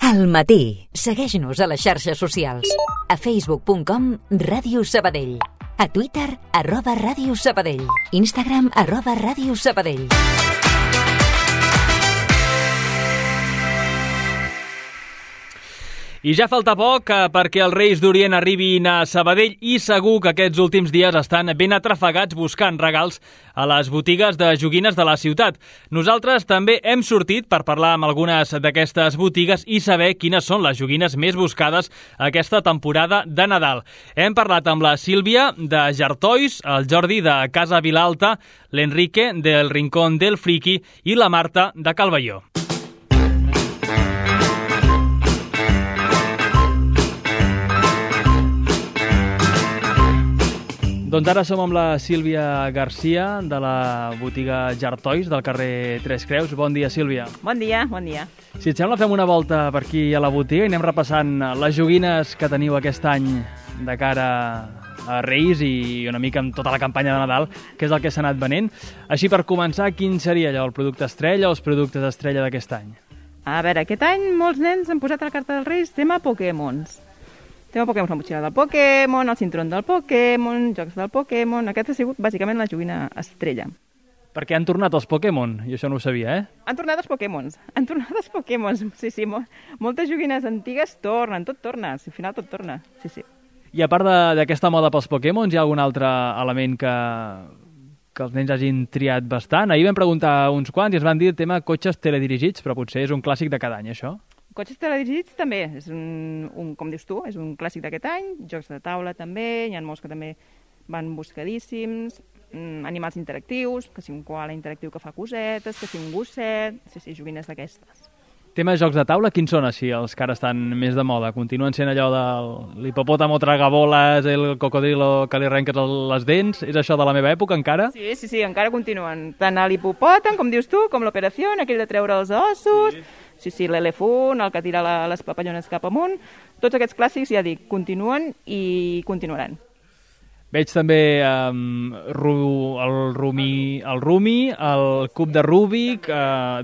Al matí. Segueix-nos a les xarxes socials. A facebook.com Ràdio Sabadell. A Twitter, @Ràdio Sabadell. Instagram, @Ràdio Sabadell. I ja falta poc perquè els Reis d'Orient arribin a Sabadell i segur que aquests últims dies estan ben atrafegats buscant regals a les botigues de joguines de la ciutat. Nosaltres també hem sortit per parlar amb algunes d'aquestes botigues i saber quines són les joguines més buscades aquesta temporada de Nadal. Hem parlat amb la Sílvia de Jartois, el Jordi de Casa Vilalta, l'Enrique del Rincón del Friki i la Marta de Calvelló. Doncs ara som amb la Sílvia Garcia, de la botiga Jartois, del carrer Tres Creus. Bon dia, Sílvia. Bon dia, bon dia. Si et sembla, fem una volta per aquí a la botiga i anem repassant les joguines que teniu aquest any de cara a Reis i una mica amb tota la campanya de Nadal, que és el que s'ha anat venent. Així, per començar, quin seria allò, el producte estrella o els productes estrella d'aquest any? A veure, aquest any molts nens han posat a la carta dels Reis tema Pokémons. Tema Pokémon, la motxilla del Pokémon, el cinturón del Pokémon, jocs del Pokémon... Aquest ha sigut bàsicament la joguina estrella. Perquè han tornat els Pokémon, i això no ho sabia, Han tornat els Pokémons, sí, moltes joguines antigues tornen, tot torna, al final tot torna, sí. I a part d'aquesta moda pels Pokémons, hi ha algun altre element que els nens hagin triat bastant? Ahir vam preguntar a uns quants i ens van dir el tema cotxes teledirigits, però potser és un clàssic de cada any, això? Cotxes teledirigits també, és com dius tu, és un clàssic d'aquest any, jocs de taula també, hi ha molts que també van buscadíssims, animals interactius, que si un koala interactiu que fa cosetes, que si un gosset, sí, joguines d'aquestes. Tema de jocs de taula, quins són així els que ara estan més de moda? Continuen sent allò de l'hipopòtamo tragaboles, el cocodrilo que li arrenques les dents? És això de la meva època encara? Sí, encara continuen. Tant l'hipopòtam, com dius tu, com l'operació, aquell de treure els ossos... Sí, l'elefant, el que tira les papallones cap amunt, tots aquests clàssics, ja dic, continuen i continuaran. Veig també el Rumi, el cub de Rubik,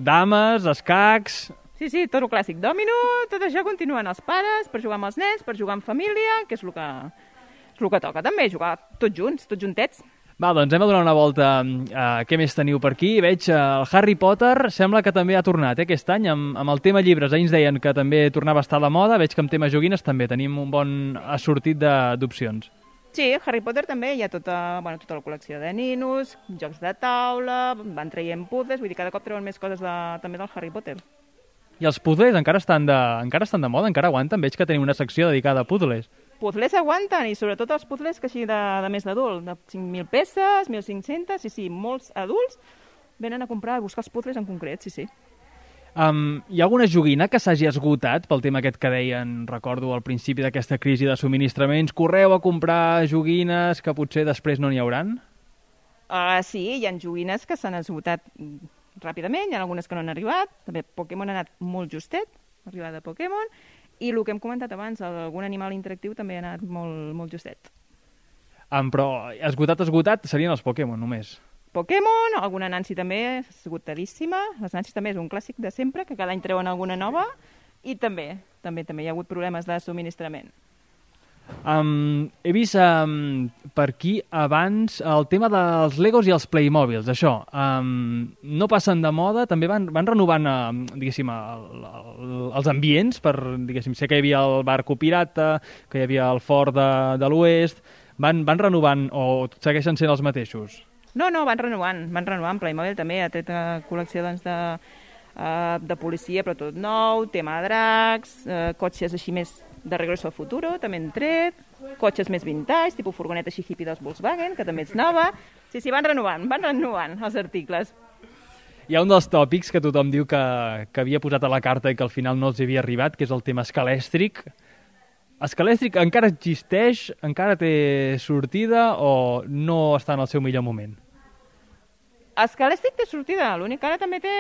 dames, escacs... Sí, tot el clàssic dòmino, tot això continuen els pares per jugar amb els nens, per jugar en família, que és el que toca també, jugar tots junts, tots juntets. Va, doncs anem a donar una volta a què més teniu per aquí. Veig el Harry Potter, sembla que també ha tornat aquest any amb el tema llibres. Ahir ens deien que també tornava a estar a la moda. Veig que amb tema joguines també tenim un bon assortit d'opcions. Sí, Harry Potter també, hi ha tota la col·lecció de ninos, jocs de taula, van traient puzzles, vull dir, cada cop treuen més coses també del Harry Potter. I els puzzles encara estan de moda, encara aguanten? Veig que tenim una secció dedicada a puzzles. Puzzles aguanten, i sobretot els puzzles que així de més d'adult, de 5.000 peces, 1.500, sí, molts adults venen a comprar, a buscar els puzzles en concret, sí. Hi ha alguna joguina que s'hagi esgotat pel tema aquest que deien, recordo, al principi d'aquesta crisi de subministraments? Correu a comprar joguines que potser després no n'hi hauran? Sí, hi ha joguines que s'han esgotat ràpidament, hi ha algunes que no han arribat, també Pokémon ha anat molt justet, l'arribada de Pokémon, i el que hem comentat abans, algun animal interactiu també ha anat molt justet. Però esgotat serien els Pokémon només. Pokémon, alguna Nancy també esgotadíssima. Les Nancy també és un clàssic de sempre, que cada any treuen alguna nova, i també hi ha hagut problemes de subministrament. He vist per aquí abans el tema dels Legos i els Playmobils, això. No passen de moda, també van renovant, diguéssim, els ambients, sé que hi havia el barco pirata, que hi havia el fort de l'oest, van renovant o segueixen sent els mateixos? No, van renovant. Playmobil també ha tret col·lecció de policia, però tot nou, tema de dracs, cotxes així més de Regreso al Futuro, també han tret, cotxes més vintage, tipus furgoneta així hippie dels Volkswagen, que també és nova. Sí, van renovant els articles. Hi ha un dels tòpics que tothom diu que havia posat a la carta i que al final no els havia arribat, que és el tema escalèstric. Escalèstric encara existeix, encara té sortida o no està en el seu millor moment? Escalèstric té sortida, l'únic que ara també té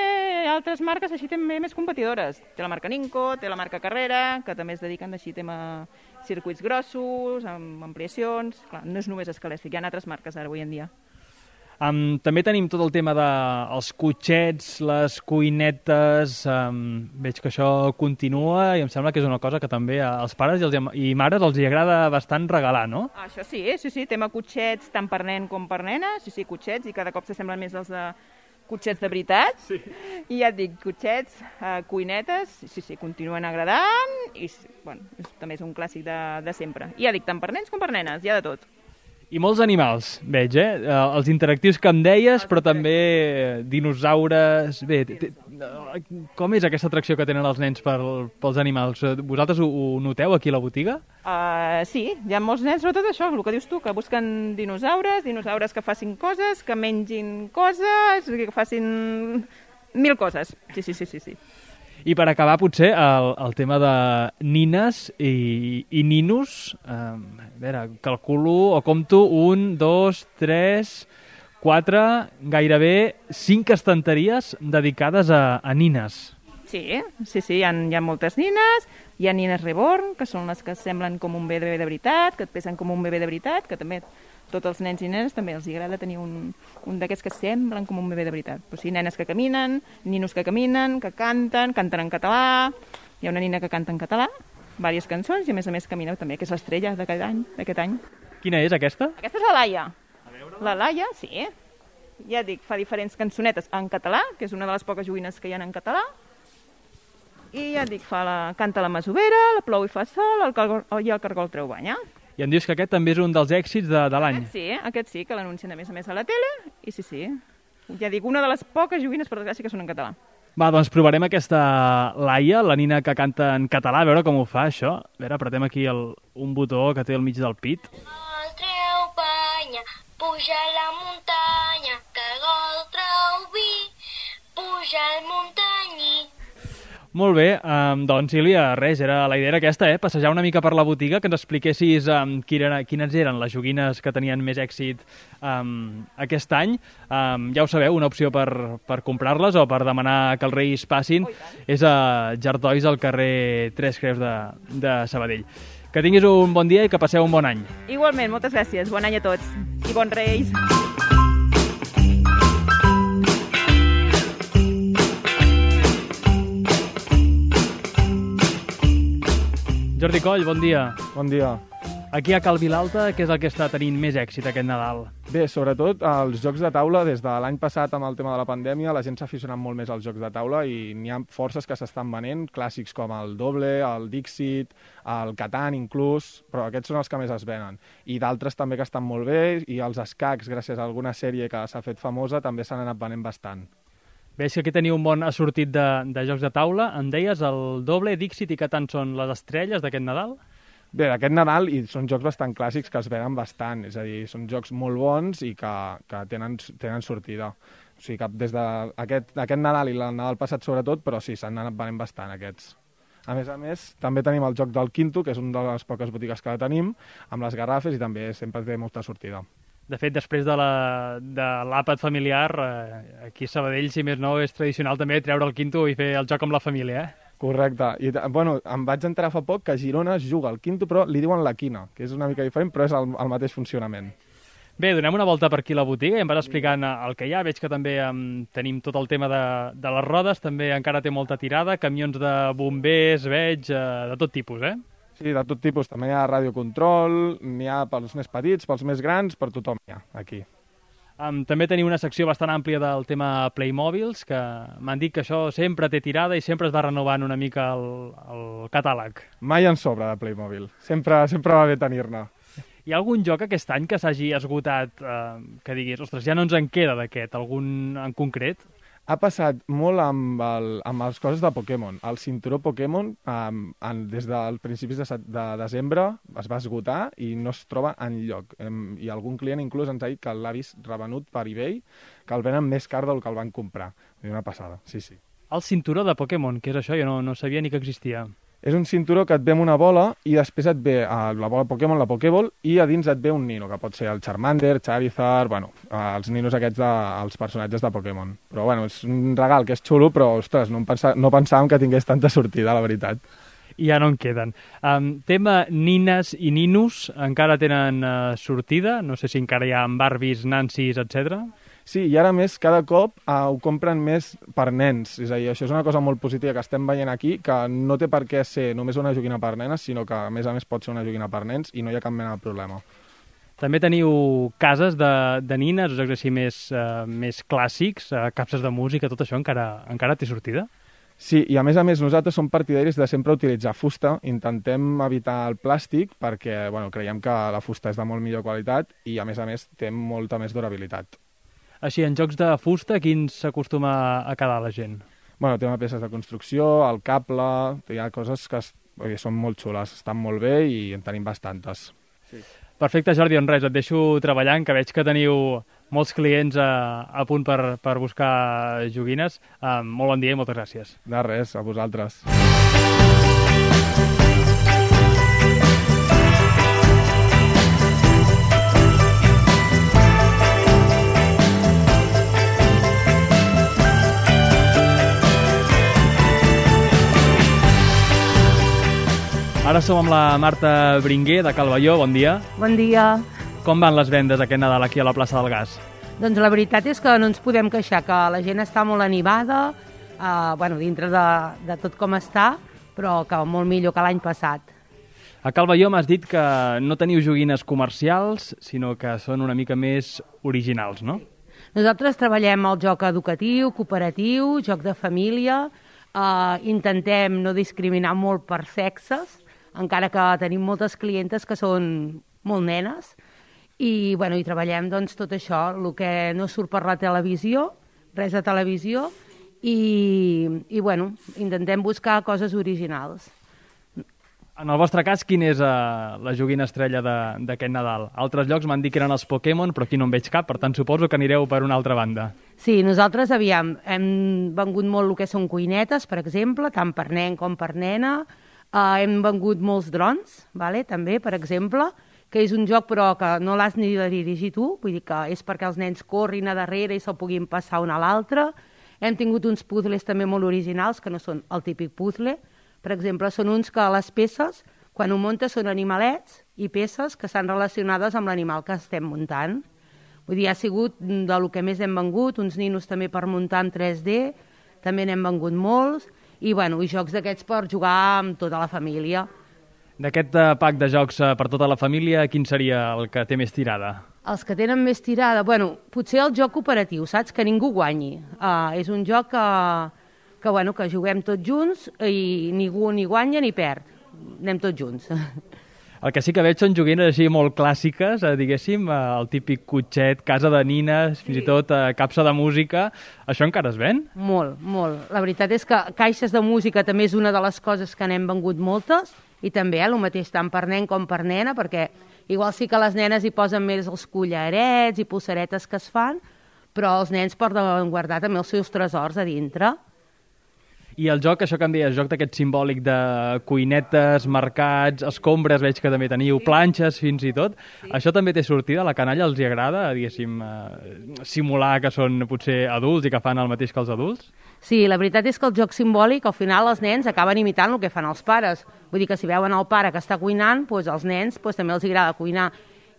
altres marques així també més competidores. Té la marca Ninco, té la marca Carrera, que també es dediquen així tema circuits grossos, amb ampliacions. Clar, no és només Escalèstric, hi ha altres marques ara avui en dia. També tenim tot el tema dels cotxets, les cuinetes, veig que això continua i em sembla que és una cosa que també als pares i mares els hi agrada bastant regalar, no? Això sí, tema cotxets tant per nen com per nena, sí, cotxets, i cada cop s'assemblen més els de cotxets de veritat, sí. I ja et dic, cotxets, cuinetes, sí, continuen agradant, i bueno, també és un clàssic de sempre. I ja dic, tant per nens com per nenes, hi ha de tot. I molts animals, veig, els interactius que em deies, però també dinosaures... Bé, com és aquesta atracció que tenen els nens pels animals? Vosaltres ho noteu aquí a la botiga? Sí, hi ha molts nens, sobretot això, el que dius tu, que busquen dinosaures que facin coses, que mengin coses, que facin 1000 coses. Sí. I per acabar, potser, el tema de nines i ninos. A veure, calculo o compto 1, 2, 3, 4, gairebé 5 estanteries dedicades a nines. Sí, hi ha moltes nines. Hi ha nines reborn, que són les que semblen com un bebè de veritat, que et pesen com un bebè de veritat, que també tots els nens i nenes també els agrada tenir un d'aquests que semblen com un bebè de veritat. Però sí, nenes que caminen, ninos que caminen, que canten en català. Hi ha una nina que canta en català, diverses cançons, i a més camina també, que és l'estrella d'aquest any. Quina és aquesta? Aquesta és la Laia. La Laia, sí. Ja dic, fa diferents cançonetes en català, que és una de les poques joguines que hi ha en català. I ja dic, canta la masovera, la plou i fa sol, i el cargol treu banya. I em dius que aquest també és un dels èxits de l'any. Aquest sí, que l'anuncien a més a la tele, i sí. Ja dic, una de les poques joguines, per desgràcia, que són en català. Va, doncs provarem aquesta Laia, la nina que canta en català, a veure com ho fa, això. A veure, apretem aquí un botó que té al mig del pit. El treu banya, puja a la muntanya, cargol treu vi, puja al muntanyí. Molt bé, doncs Sílvia, res, la idea era aquesta, passejar una mica per la botiga, que ens expliquessis quines eren les joguines que tenien més èxit aquest any. Ja ho sabeu, una opció per comprar-les o per demanar que els Reis passin és a Jartois al carrer Tres Creus de Sabadell. Que tinguis un bon dia i que passeu un bon any. Igualment, moltes gràcies, bon any a tots i bons Reis. Jordi Coll, bon dia. Bon dia. Aquí a Cal Vilalta, què és el que està tenint més èxit aquest Nadal? Bé, sobretot els jocs de taula. Des de l'any passat, amb el tema de la pandèmia, la gent s'ha aficionat molt més als jocs de taula i n'hi ha forces que s'estan venent, clàssics com el Doble, el Dixit, el Catan inclús, però aquests són els que més es venen. I d'altres també que estan molt bé, i els escacs, gràcies a alguna sèrie que s'ha fet famosa, també s'han anat venent bastant. Veig que aquí teniu un bon assortit de jocs de taula. Em deies, el Doble, Dixit i Catan són les estrelles d'aquest Nadal? Bé, d'aquest Nadal són jocs bastant clàssics que es venen bastant, és a dir, són jocs molt bons i que tenen sortida. O sigui que des d'aquest Nadal i el Nadal passat sobretot, però sí, s'han anat venent bastant aquests. A més, també tenim el joc del Quinto, que és una de les poques botigues que tenim, amb les garrafes i també sempre té molta sortida. De fet, després de l'àpat familiar, aquí a Sabadell, si més no, és tradicional també treure el Quinto i fer el joc amb la família, Correcte. I, bueno, em vaig enterar fa poc que a Girona es juga al Quinto, però li diuen la quina, que és una mica diferent, però és el mateix funcionament. Bé, donem una volta per aquí a la botiga i em vas explicant el que hi ha. Veig que també tenim tot el tema de les rodes, també encara té molta tirada, camions de bombers, veig, de tot tipus, Sí, de tot tipus. També hi ha radiocontrol, n'hi ha pels més petits, pels més grans, per tothom hi ha, aquí. També teniu una secció bastant àmplia del tema Playmobils, que m'han dit que això sempre té tirada i sempre es va renovant una mica el catàleg. Mai en sobra de Playmobil. Sempre va bé tenir-ne. Hi ha algun joc aquest any que s'hagi esgotat, que diguis, ostres, ja no ens en queda d'aquest, algun en concret? Ha passat molt amb les coses de Pokémon. El cinturó Pokémon, des dels principis de desembre, es va esgotar i no es troba enlloc. I algun client inclús ens ha dit que l'ha vist revenut per eBay, que el venen més car del que el van comprar. Una passada, sí. El cinturó de Pokémon, què és això? Jo no sabia ni que existia. És un cinturó que et ve amb una bola i després et ve la bola Pokémon, la Pokéball, i a dins et ve un nino, que pot ser el Charmander, Charizard, els ninos aquests els personatges de Pokémon. Però és un regal que és xulo, però, ostres, no pensàvem que tingués tanta sortida, la veritat. I ja no en queden. Tema nines i ninos, encara tenen sortida? No sé si encara hi ha Barbies, Nancys, etc. Sí, i ara més, cada cop ho compren més per nens. És a dir, això és una cosa molt positiva que estem veient aquí, que no té per què ser només una joguina per nenes, sinó que a més pot ser una joguina per nens i no hi ha cap mena de problema. També teniu cases de nines, jocs així més clàssics, capses de música, tot això encara té sortida? Sí, i a més nosaltres som partidaris de sempre utilitzar fusta, intentem evitar el plàstic perquè creiem que la fusta és de molt millor qualitat i a més té molta més durabilitat. Així, en jocs de fusta, quins s'acostuma a quedar la gent? Tema peces de construcció, el cable, hi ha coses que són molt xules, estan molt bé i en tenim bastantes. Sí. Perfecte, Jordi, res, et deixo treballant, que veig que teniu molts clients a punt per buscar joguines. Molt bon dia i moltes gràcies. De res, a vosaltres. Ara som amb la Marta Bringuer, de Calvelló. Bon dia. Bon dia. Com van les vendes aquest Nadal aquí a la plaça del Gas? Doncs la veritat és que no ens podem queixar, que la gent està molt animada, dintre de tot com està, però que molt millor que l'any passat. A Calvelló m'has dit que no teniu joguines comercials, sinó que són una mica més originals, no? Nosaltres treballem el joc educatiu, cooperatiu, joc de família, intentem no discriminar molt per sexes, encara que tenim moltes clientes que són molt nenes, i treballem tot això, el que no surt per la televisió, res de televisió, i intentem buscar coses originals. En el vostre cas, quina és la joguina estrella d'aquest Nadal? Altres llocs m'han dit que eren els Pokémon, però aquí no en veig cap, per tant suposo que anireu per una altra banda. Sí, nosaltres hem vengut molt el que són cuinetes, per exemple, tant per nen com per nena. Hem vengut molts drons, també, per exemple, que és un joc però que no l'has ni de dirigir tu, vull dir que és perquè els nens corrin a darrere i se'l puguin passar un a l'altre. Hem tingut uns puzzles també molt originals, que no són el típic puzzle. Per exemple, són uns que les peces, quan ho muntes, són animalets i peces que estan relacionades amb l'animal que estem muntant. Vull dir, ha sigut del que més hem vengut, uns ninos també per muntar en 3D, també n'hem vengut molts, i jocs d'aquests per jugar amb tota la família. D'aquest pack de jocs per tota la família, quin seria el que té més tirada? Els que tenen més tirada, potser el joc cooperatiu, saps? Que ningú guanyi. És un joc que juguem tots junts i ningú ni guanya ni perd. Anem tots junts. El que sí que veig són joguines així molt clàssiques, diguéssim, el típic cotxet, casa de nines, fins i tot capsa de música. Això encara es ven? Molt, molt. La veritat és que caixes de música també és una de les coses que n'hem vengut moltes, i també el mateix tant per nen com per nena, perquè igual sí que les nenes hi posen més els collarets i pulseretes que es fan, però els nens poden guardar també els seus tresors a dintre. I el joc, això que em deies, joc d'aquest simbòlic de cuinetes, mercats, escombres, veig que també teniu, planxes fins i tot. Sí. Això també té sortida? A la canalla els hi agrada, diguéssim, simular que són potser adults i que fan el mateix que els adults? Sí, la veritat és que el joc simbòlic, al final els nens acaben imitant el que fan els pares. Vull dir que si veuen el pare que està cuinant, doncs als nens també els agrada cuinar.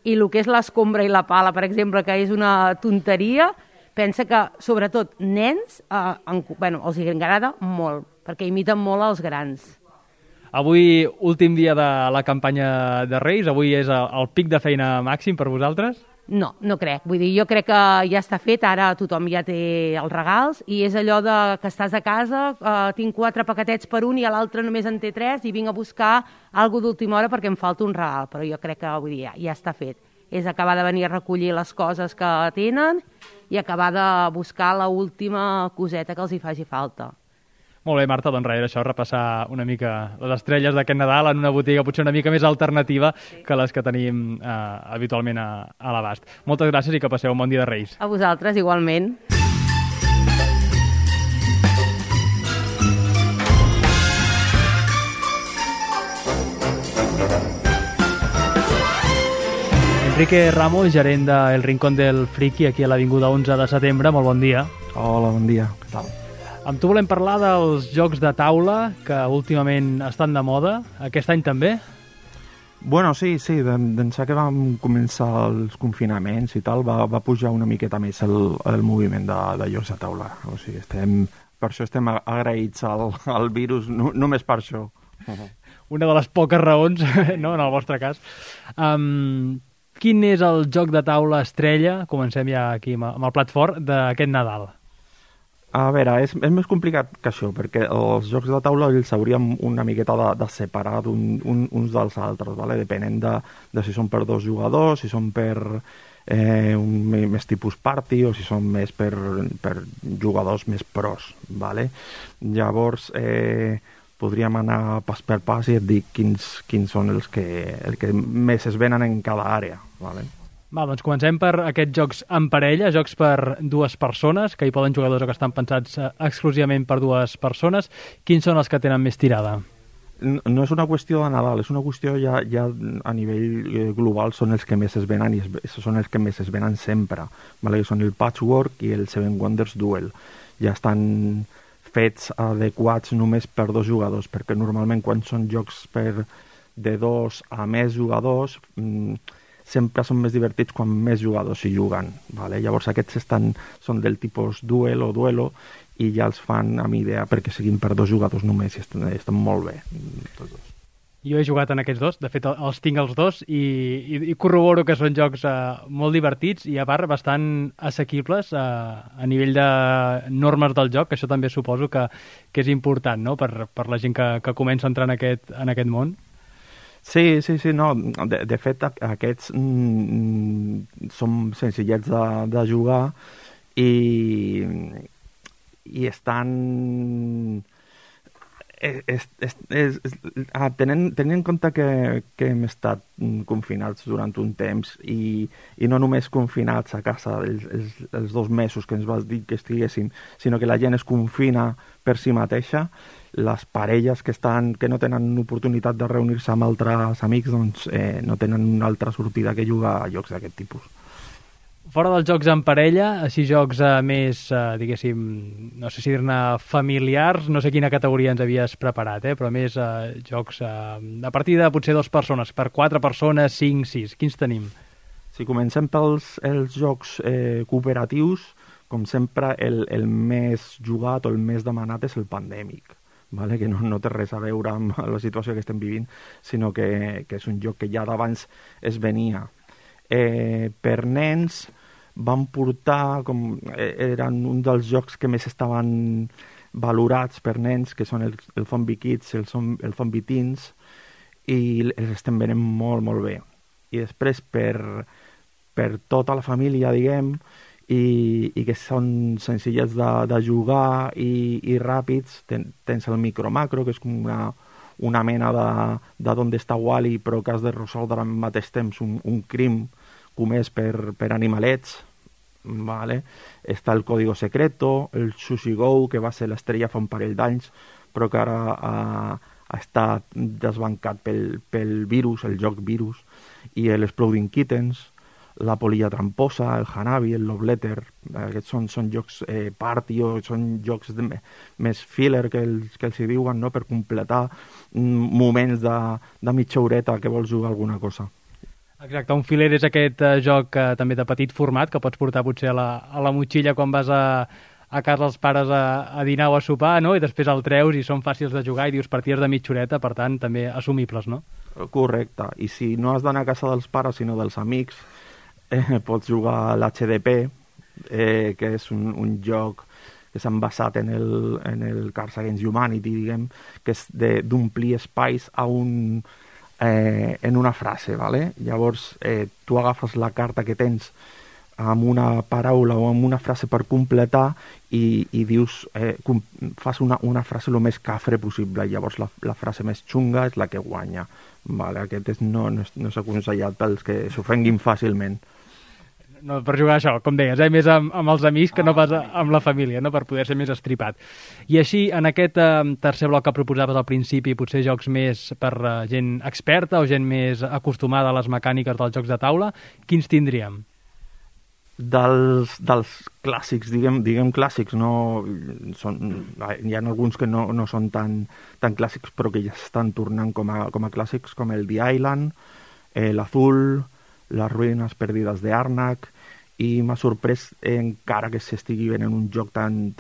I el que és l'escombra i la pala, per exemple, que és una tonteria, pensa que, sobretot, nens, els agrada molt, perquè imiten molt els grans. Avui, últim dia de la campanya de Reis, avui és el pic de feina màxim per vosaltres? No, no crec. Vull dir, jo crec que ja està fet, ara tothom ja té els regals, i és allò de que estàs a casa, tinc 4 paquetets per un i l'altre només en té 3, i vinc a buscar alguna d'última hora perquè em falta un regal, però jo crec que ja està fet. És acabar de venir a recollir les coses que tenen i acabar de buscar l'última coseta que els hi faci falta. Molt bé, Marta, doncs res, això, repassar una mica les estrelles d'aquest Nadal en una botiga potser una mica més alternativa que les que tenim habitualment a l'abast. Moltes gràcies i que passeu un bon dia de Reis. A vosaltres, igualment. Enrique Ramos, gerent de El Rincón del Friki, aquí a l'Avinguda 11 de setembre. Molt bon dia. Hola, bon dia. Què tal? Amb tu volem parlar dels jocs de taula que últimament estan de moda. Aquest any també? Bueno, sí, d'ençà que vam començar els confinaments i tal, va pujar una miqueta més el moviment de jocs de taula. O sigui, per això estem agraïts al virus, només per això. Una de les poques raons, no?, en el vostre cas. Quin és el joc de taula estrella, comencem ja aquí amb el plat fort, d'aquest Nadal? A veure, és més complicat que això, perquè els jocs de taula els hauríem una miqueta de separar uns dels altres, ¿vale? Depenent de si són per 2 jugadors, si són per més tipus party o si són més per jugadors més pros, ¿vale? Llavors, podríem anar pas per pas i et dic quins són els que més es venen en cada àrea, ¿vale? Doncs comencem per aquests jocs en parella, jocs per 2 persones, que hi poden jugadors o que estan pensats exclusivament per 2 persones. Quins són els que tenen més tirada? No és una qüestió de Nadal, és una qüestió ja a nivell global, són els que més es venen i són els que més es venen sempre, ¿vale? Són el Patchwork i el Seven Wonders Duel. Ja estan fets adequats només per 2 jugadors, perquè normalment quan són jocs de 2 a més jugadors sempre són més divertits quan més jugadors hi juguen, ¿vale? Llavors aquests són del tipus duel o duelo i ja els fan amb idea perquè siguin per 2 jugadors només i estan molt bé tots dos. Jo he jugat en aquests 2, de fet els tinc els 2 i corroboro que són jocs molt divertits i a part bastant assequibles a nivell de normes del joc, que això també suposo que és important, no?, per la gent que comença a entrar en aquest món. Sí, no. De fet, aquests són senzillets de jugar i estan... Tenint en compte que hem estat confinats durant un temps i no només confinats a casa els 2 mesos que ens vas dir que estiguéssim, sinó que la gent es confina per si mateixa, les parelles que no tenen oportunitat de reunir-se amb altres amics doncs no tenen una altra sortida que jugar a jocs d'aquest tipus. Fora dels jocs en parella, així jocs més, diguéssim, no sé si dir-ne familiars, no sé quina categoria ens havies preparat, però més jocs a partir de potser 2 persones, per 4 persones, 5, 6, quins tenim? Si comencem pels jocs cooperatius, com sempre el més jugat o el més demanat és el Pandèmic, ¿vale? Que no té res a veure amb la situació que estem vivint, sinó que és un joc que ja d'abans es venia. Per nens van portar, eren un dels jocs que més estaven valorats per nens, que són el Zombie Kids, el Zombie Teens, i els estem venent molt, molt bé. I després per tota la família, diguem, i que són senzillets de jugar i ràpids, tens el Micro-Macro, que és com una mena de d'on està Wall-E, però que has de resoldre al mateix temps un crim comès per animalets, ¿vale? Està el Código Secreto, el Sushi Go, que va ser l'estrella fa un parell d'anys, però que ara ha estat desbancat pel virus, el joc virus, i l'Exploding Kittens, la Polilla Tramposa, el Hanabi, el Love Letter. Aquests són jocs party o són jocs més filler que els hi diuen, no?, per completar moments de mitja horeta que vols jugar alguna cosa. Exacte, un filler és aquest joc també de petit format que pots portar potser a la motxilla quan vas a casa dels pares a dinar o a sopar, no?, i després el treus i són fàcils de jugar i dius partides de mitja horeta, per tant també assumibles, no? Correcte, i si no has d'anar a casa dels pares sinó dels amics, pots jugar a l'HDP, que és un joc que s'han basat en el Cards Against Humanity, diguem, que és d'omplir espais en una frase, ¿vale? Llavors tu agafes la carta que tens amb una paraula o amb una frase per completar i dius, fas una frase el més cafre possible, i llavors la frase més xunga és la que guanya, ¿vale? Aquest no és aconsellat pels que s'ofenguin fàcilment. No, per jugar això, com deies, més amb els amics que no pas amb la família, no?, per poder ser més estripat. I així, en aquest tercer bloc que proposaves al principi, potser jocs més per gent experta o gent més acostumada a les mecàniques dels jocs de taula, quins tindríem? dels clàssics, diguem clàssics, no hi ha alguns que no són tan clàssics, però que ja s'estan tornant com a clàssics, com el The Island, l'Azul, les ruïnes perdides d'Arnak, i m'ha sorprès encara que s'estigui venent un joc tan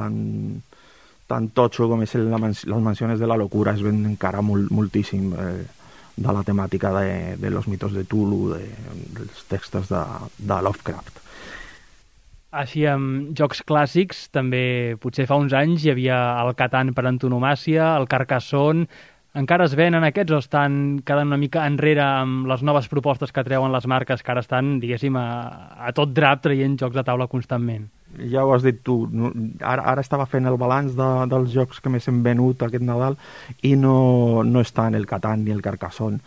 totxo com és les mansiones de la locura, es ven encara moltíssim de la temàtica de los mitos de Tulu, dels textos de Lovecraft. Així, amb jocs clàssics, també potser fa uns anys hi havia el Catan per antonomàsia, el Carcassonne. Encara es venen aquests o estan quedant una mica enrere amb les noves propostes que treuen les marques que ara estan, diguéssim, a tot drap traient jocs de taula constantment? Ja ho has dit tu, ara estava fent el balanç dels jocs que més hem venut aquest Nadal i no estan el Catan ni el Carcassonne.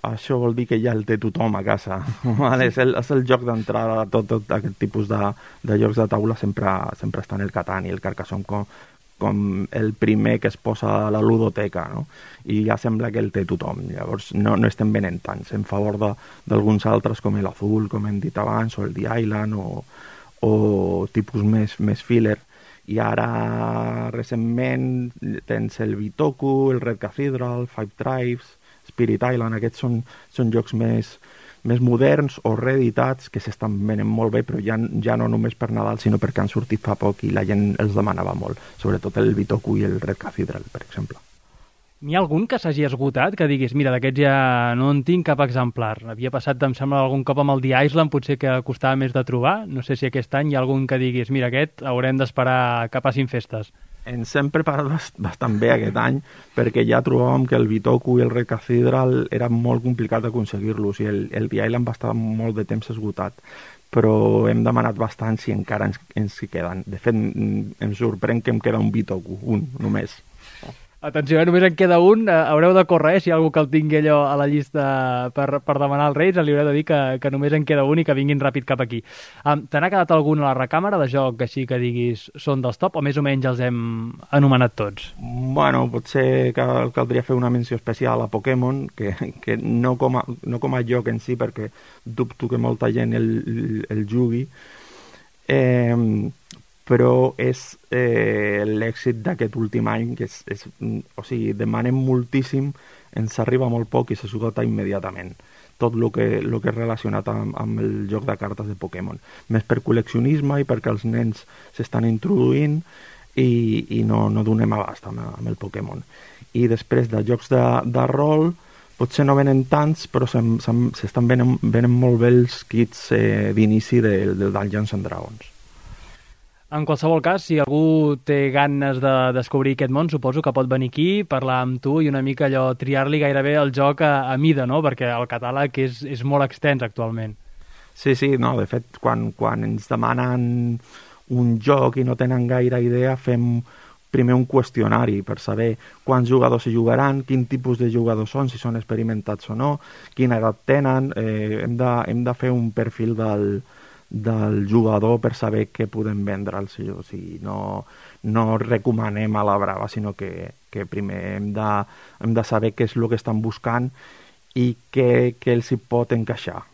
Això vol dir que ja el té tothom a casa. Vale? És el joc d'entrada a tot aquest tipus de jocs de taula, sempre estan el Catan i el Carcassonne com el primer que es posa a la ludoteca, no? I ja sembla que el té tothom. Llavors no estem venent tants en favor d'alguns altres com l'Azul, com hem dit abans, o el The Island, o tipus més filler. I ara recentment tens el Bitoku, el Red Cathedral, Five Tribes, Spirit Island. Aquests són jocs més moderns o reeditats que s'estan venent molt bé, però ja no només per Nadal, sinó perquè han sortit fa poc i la gent els demanava molt, sobretot el Bitoku i el Red Cathedral, per exemple. N'hi ha algun que s'hagi esgotat, que diguis, mira, d'aquests ja no en tinc cap exemplar? Havia passat, em sembla, algun cop amb el The Island, potser que costava més de trobar. No sé si aquest any hi ha algun que diguis, mira, aquest haurem d'esperar que passin festes. Ens hem preparat bastant bé aquest any, perquè ja trobàvem que el Bitoku i el Red Cathedral era molt complicat d'aconseguir-los, i el The Island va estar molt de temps esgotat, però hem demanat bastant si encara ens hi queden. De fet, em sorprèn que em queda un Bitoku, un només. Atenció, només en queda un, haureu de córrer, si hi ha algú que el tingui allò a la llista per demanar als Reis, li haureu de dir que només en queda un i que vinguin ràpid cap aquí. Te n'ha quedat algun a la recàmera de joc així que diguis són dels top, o més o menys els hem anomenat tots? Bueno, potser caldria fer una menció especial a Pokémon, que no com a joc en si, perquè dubto que molta gent el jugui, però és l'èxit d'aquest últim any, que o sigui, demanem moltíssim, ens arriba molt poc i s'esgota immediatament. Tot el que és relacionat amb el joc de cartes de Pokémon. Més per col·leccionisme i perquè els nens s'estan introduint i no donem abast amb el Pokémon. I després de jocs de rol, potser no venen tants, però s'estan venent molt bé els kits d'inici del Dungeons and Dragons. En qualsevol cas, si algú té ganes de descobrir aquest món, suposo que pot venir aquí, parlar amb tu i una mica allò triar-li gairebé el joc a mida, no? Perquè el catàleg és molt extens actualment. Sí, no, de fet, quan ens demanen un joc i no tenen gaire idea, fem primer un qüestionari per saber quants jugadors hi jugaran, quin tipus de jugadors són, si són experimentats o no, quina edat tenen, hem de fer un perfil del jugador per saber què podem vendre'ls. O sigui, no recomanem a la brava, sinó que primer hem de saber què és el que estan buscant i què els hi pot encaixar.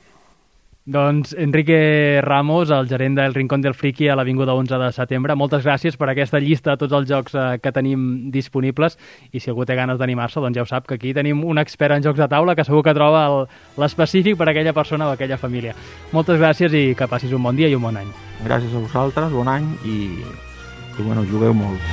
Doncs Enrique Ramos, el gerent del Rincón del Friki a l'Avinguda 11 de setembre, moltes gràcies per aquesta llista de tots els jocs que tenim disponibles, i si algú té ganes d'animar-se, doncs ja ho sap que aquí tenim un expert en jocs de taula que segur que troba l'específic per a aquella persona o aquella família. Moltes gràcies i que passis un bon dia i un bon any. Gràcies a vosaltres, bon any i bueno, jugueu molt.